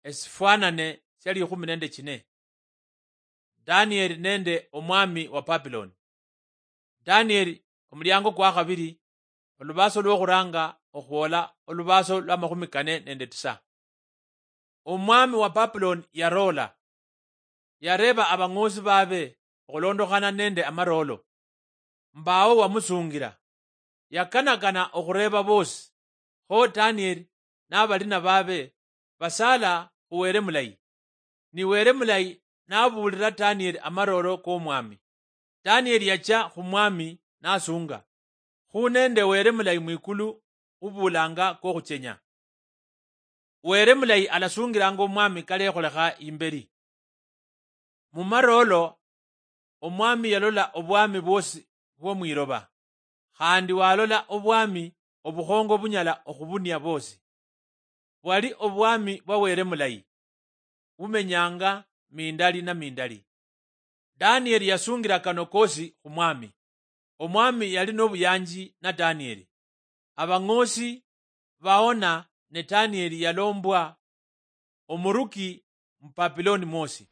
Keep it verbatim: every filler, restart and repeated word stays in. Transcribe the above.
Esifwanane sia likhumi nende chine. Danieli nende omwami wa Babiloni. Danieli, omuliango kwa khabiri, olubaso lwokhuranga okhwola olubaso lwa makhumi kane nende tisa. Omwami wa Babiloni yaroola, yareeba abang'oosi baabe okhulondokhana nende amaroolo. Mbaawo wamusungira. Yakanakana okhureeba boosi, kho Danieli nabalina baabe basaala khu Wele mulayi. Ni Wele mulayi nabuulira Danieli amaroolo k'omwami. Danieli yachia khu mwami nasunga, khu nende Wele mulayi mwikulu ubuulanga kokhuchenya. Wele mulayi alasungilanga omwami kalekholekha imbeli. Mu maroolo, omwami yalola obwami bwosi bwo mwiloba, khandi walola obwami obukhongo bunyala okhubunia boosi. Bwali obwami bwa Wele mulayi, bumenyanga mindali na mindali. Danieli yasungira kano kosi khu mwami. Omwami yali nobuyanji na Danieli. Abang'oosi baona ne Danieli yalombwa omuruki mu Babiloni mwosi.